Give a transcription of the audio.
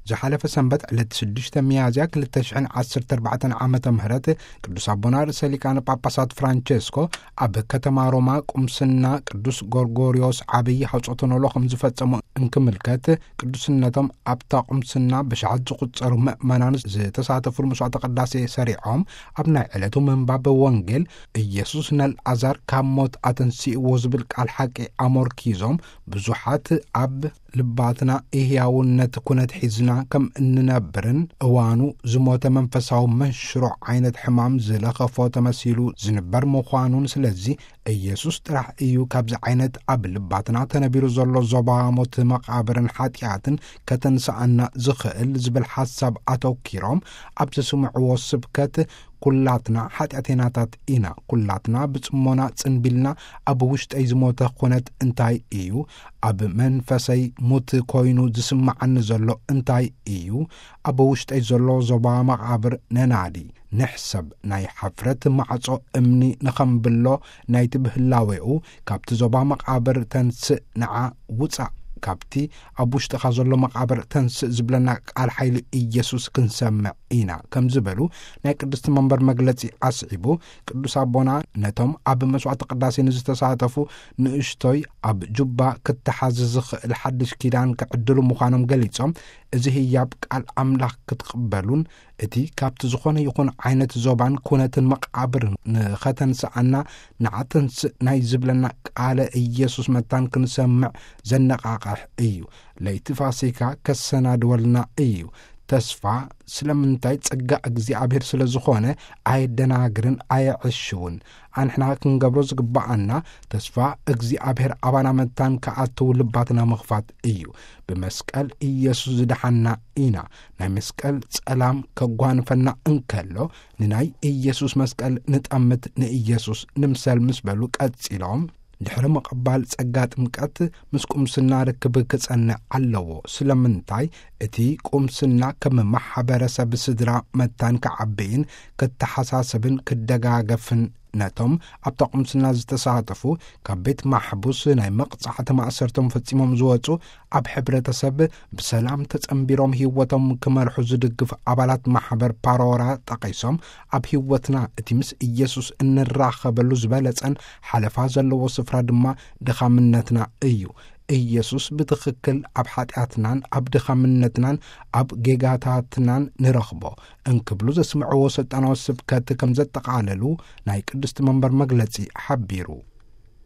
ዝሓለፈ ሰንበት ዕለት ሽዱሽተ ሚያዝያ ክልተ ሽሕን ዓሰርተ ኣርባዕተን ዓመተ ምህረት ቅዱስ ኣቦና ርእሰ ሊቃነ ጳጳሳት ፍራንቸስኮ ኣብ ከተማ ሮማ ቁምስና ቅዱስ ጎርጎርዮስ ዓብዪ ሐውጾተ ኖሎ ከም ዝፈጸሙ እንክምልከት፣ ቅዱስነቶም ኣብታ ቁምስና ብሽዓት ዝቑጸሩ ምእመናን ዝተሳተፉሉ መስዋዕተ ቅዳሴ ሰሪዖም፣ ኣብ ናይ ዕለቱ ምንባብ ወንጌል «ኢየሱስ ነልዓዛር ካብ ሞት ኣተንሲእዎ» ዝብል ቃል ሓቂ ኣሞርኪዞም፣ ብዙሓት ኣብ ልባትና ኢህያውነት ኩነት ሒዝና ከም እንነብርን፣ እዋኑ ዝሞተ መንፈሳዊ መንሽሮ ዓይነት ሕማም ዝለኸፎ ተመሲሉ ዝንበር ምዃኑን፣ ስለዚ ኢየሱስ ጥራሕ እዩ ካብዚ ዓይነት ኣብ ልባትና ተነቢሩ ዘሎ ዞባ ሞት መቓብርን ሓጢኣትን ከተንስኣና ዝኽእል ዝብል ሓሳብ ኣተኪሮም ኣብ ዘስምዕዎ ስብከት፣ ኩላትና ሓጢኣተኛታት ኢና። ኩላትና ብጽሞና ጽንቢልና፣ ኣብ ውሽጠይ ዝሞተ ኩነት እንታይ እዩ? ኣብ መንፈሰይ ሙት ኮይኑ ዝስምዓኒ ዘሎ እንታይ እዩ? ኣብ ውሽጠይ ዘሎ ዞባ መቓብር ነናዲ፣ ንሕሰብ። ናይ ሓፍረት ማዕጾ እምኒ ንኸምብሎ ናይቲ ብህላዌኡ፣ ካብቲ ዞባ መቓብር ተንስእ፣ ንዓ ውጻእ፣ ካብቲ ኣብ ውሽጥኻ ዘሎ መቓብር ተንስእ ዝብለና ቃል ሓይሊ ኢየሱስ ክንሰምዕ ኢና፣ ከም ዝበሉ ናይ ቅድስቲ መንበር መግለጺ ኣስዒቡ፣ ቅዱስ ኣቦና ነቶም ኣብ መስዋዕቲ ቅዳሴ ንዝተሳተፉ ንእሽቶይ ኣብ ጁባ ክተሓዝ ዝኽእል ሓድሽ ኪዳን ክዕድሉ ምዃኖም ገሊጾም፣ እዚ ህያብ ቃል ኣምላኽ ክትቕበሉን እቲ ካብቲ ዝኾነ ይኹን ዓይነት ዞባን ኩነትን መቓብር ንኸተንስኣና፣ ንዓ ተንስእ ናይ ዝብለና ቃለ ኢየሱስ መታን ክንሰምዕ ዘነቓቕሕ እዩ። ለይቲ ፋሲካ ከሰናድወልና እዩ። ተስፋ ስለምንታይ? ጸጋ እግዚኣብሔር ስለ ዝኾነ ኣየደናግርን ኣየዕሽውን። ኣንሕና ክንገብሮ ዝግብኣና ተስፋ እግዚኣብሔር ኣባና መታን ክኣትው ልባትና ምኽፋት እዩ። ብመስቀል ኢየሱስ ዝደሓና ኢና። ናይ መስቀል ጸላም ከጓንፈና እንከሎ፣ ንናይ ኢየሱስ መስቀል ንጠምት፣ ንኢየሱስ ንምሰል ምስ በሉ ቀጺሎም፣ ድሕሪ ምቕባል ጸጋ ጥምቀት ምስ ቁምስና ርክብ ክጸንዕ ኣለዎ። ስለምንታይ? እቲ ቁምስና ከም ማሕበረሰብ ስድራ መታን ክዓብይን ክተሓሳሰብን ክደጋገፍን፣ ነቶም ኣብታ ቁምስና ዝተሳተፉ፣ ካብ ቤት ማሕቡስ ናይ መቕጻዕቲ ማእሰርቶም ፈጺሞም ዝወጹ፣ ኣብ ሕብረተሰብ ብሰላም ተጸንቢሮም ህይወቶም ክመርሑ ዝድግፍ ኣባላት ማሕበር ፓሮራ ጠቒሶም፣ ኣብ ህይወትና እቲ ምስ ኢየሱስ እንራኸበሉ ዝበለጸን ሓለፋ ዘለዎ ስፍራ ድማ ድኻምነትና እዩ። ኢየሱስ ብትኽክል ኣብ ሓጢኣትናን ኣብ ድኻምነትናን ኣብ ጌጋታትናን ንረኽቦ እንክብሉ ዘስምዕዎ ስልጣናዊ ስብከት ከም ዘጠቓለሉ ናይ ቅድስቲ መንበር መግለጺ ሓቢሩ።